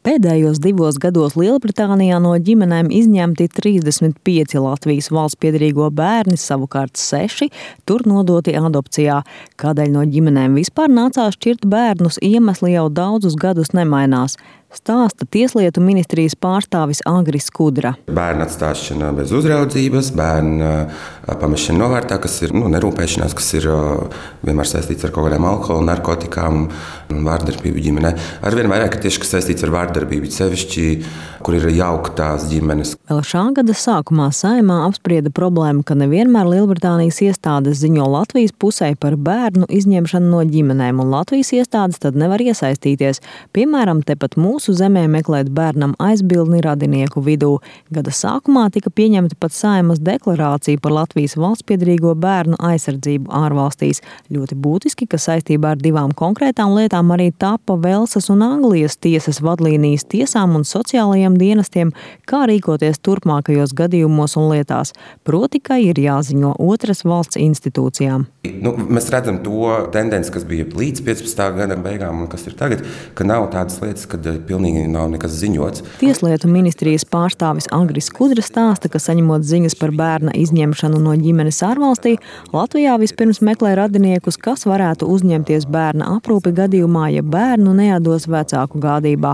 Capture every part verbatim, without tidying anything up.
Pēdējos divos gados Lielbritānijā no ģimenēm izņemti trīsdesmit pieci Latvijas valsts piederīgo bērni, savukārt seši tur nodoti adopcijā. Kādēļ no ģimenēm vispār nācās šķirt bērnus, iemesli jau daudzus gadus nemainās. Stāsta Tieslietu ministrijas pārstāvis Agris Skudra. Bērnu atstāšana bez uzraudzības, bērnu pamešana novārtā, kas ir nu, nerūpēšanās, kas ir vienmēr saistīts ar kaut kādām alkohola, narkotikām un vārdarbību ģimenē. Arvien vairāk tieši, kas saistīts ar vārdarbību, sevišķi, kur ir jauktās ģimenes. Vēl šā gada sākumā Saeimā apsprieda problēmu, ka nevienmēr Lielbritānijas iestādes ziņo Latvijas pusē par bērnu izņemšanu no ģimenēm, un Latvijas iestādes tad nevar iesaistīties. Piemēram, tepat mūsu zemē meklēt bērnam aizbildni radinieku vidū. Gada sākumā tika pieņemta pat Saeimas deklarācija par Latvijas valstspiederīgo bērnu aizsardzību ārvalstīs. Ļoti būtiski, ka saistībā ar divām konkrētām lietām arī tapa Velsas un Anglijas tiesas vadlīnijas tiesām un sociālajiem dienestiem, kā rīkoties turpmākajos gadījumos un lietās. Proti, ka ir jāziņo otras valsts institūcijām. Nu, mēs redzam to tendenci, kas bija līdz piecpadsmitā gada beigām un kas ir tagad, ka nav tādas lietas, kad pilnīgi nav nekas ziņots. Tieslietu ministrijas pārstāvis Agris Skudra stāsta, ka saņemot ziņas par bērna izņemšanu no ģimenes ārvalstī, Latvijā vispirms meklē radiniekus, kas varētu uzņemties bērna aprūpi gadījumā, ja bērnu neatdos vecāku gādībā.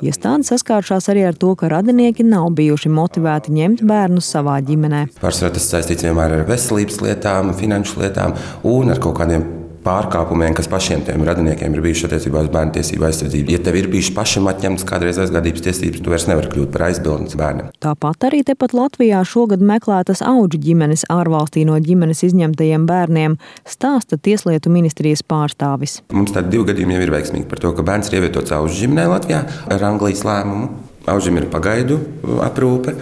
Iestāde saskāršās arī ar to, ka radinieki nav bijuši motivēti ņemt bērnus savā ģimenē. Pārsvarā tas saistīts vienmēr ar veselības lietām, finanšu lietām un ar kaut kādiem pārkāpumiem, kas pašiem tiem radiniekiem ir bijuši attiecībā uz bērnu tiesību aizsardzību. Ja tev ir bijuši pašam atņemtas kādreiz aizgādības tiesības, tu vairs nevari kļūt par aizbildnis bērnam. Tāpat arī tepat Latvijā šogad meklētas audžu ģimenes ārvalstī no ģimenes izņemtajiem bērniem, stāsta Tieslietu ministrijas pārstāvis. Mums tādi divi gadījumi jau ir veiksmīgi par to, ka bērns ir ievietots audžu ģimenē Latvijā ar Anglijas lēmumu. Aužam ir pagaidu aprūpe,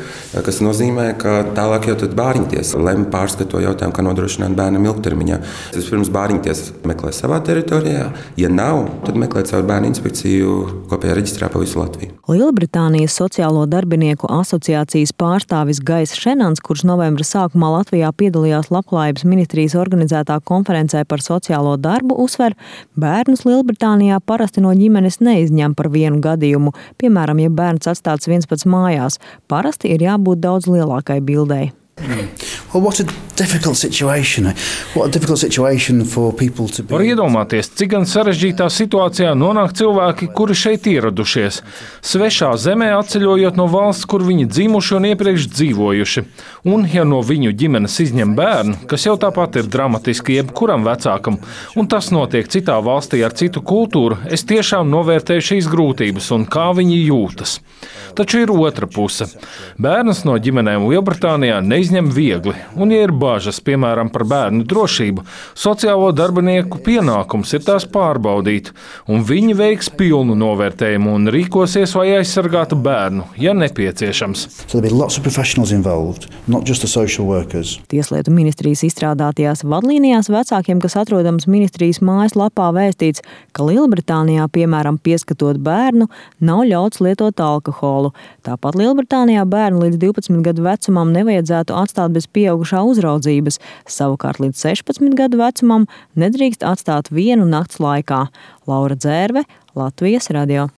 kas nozīmē, ka tālāk jau tad bāriņtiesa lem pārskat to jautājumu, kā nodrošināt bērnam ilgtermiņā. Vispirms bāriņtiesa meklē savā teritorijā, ja nav, tad meklē caur bērnu inspekciju kopējā reģistrā pa visu Latviju. Lielbritānijas Sociālo darbinieku asociācijas pārstāvis Gais Šenans, kurš novembra sākumā Latvijā piedalījās Labklājības ministrijas organizētā konferencē par sociālo darbu, uzsver, bērnus Lielbritānijā parasti no ģimenes neizņem par vienu gadījumu, piemēram, ja bērns atstāts viens pats mājās. Parasti ir jābūt daudz lielākai bildei. Well, what a difficult situation. What a difficult situation for people to be. Var iedomāties, cik gan sarežģītā situācijā nonāk cilvēki, kuri šeit ieradušies. Svešā zemē atceļojot no valsts, kur viņi dzimuši un iepriekš dzīvojuši. Un, ja no viņu ģimenes izņem bērnu, kas jau tāpat ir dramatiski jebkuram vecākam, un tas notiek citā valstī ar citu kultūru, es tiešām novērtēju šīs grūtības un kā viņi jūtas. Taču ir otra puse. Bērnus no ģimenēm Lielbritānijā neizņem viegli, un ja ir bažas, piemēram, par bērnu drošību, sociālo darbinieku pienākums ir tās pārbaudīt, un viņi veiks pilnu novērtējumu un rīkosies, lai aizsargātu bērnu, ja nepieciešams. So there'll be lots of professionals involved, not just the social workers. Tieslietu ministrijas izstrādātajās vadlīnijās vecākiem, kas atrodams ministrijas mājaslapā, vēstīts, ka Lielbritānijā, piemēram, pieskatot bērnu, nav ļauts lietot alkoholu. Tāpat Lielbritānijā bērnu līdz divpadsmit gadu vecumam nevajadzētu atstāt bez pieaugušā uzraudzības, savukārt līdz sešpadsmit gadu vecumam nedrīkst atstāt vienu nakts laikā. Laura Dzērve, Latvijas radio.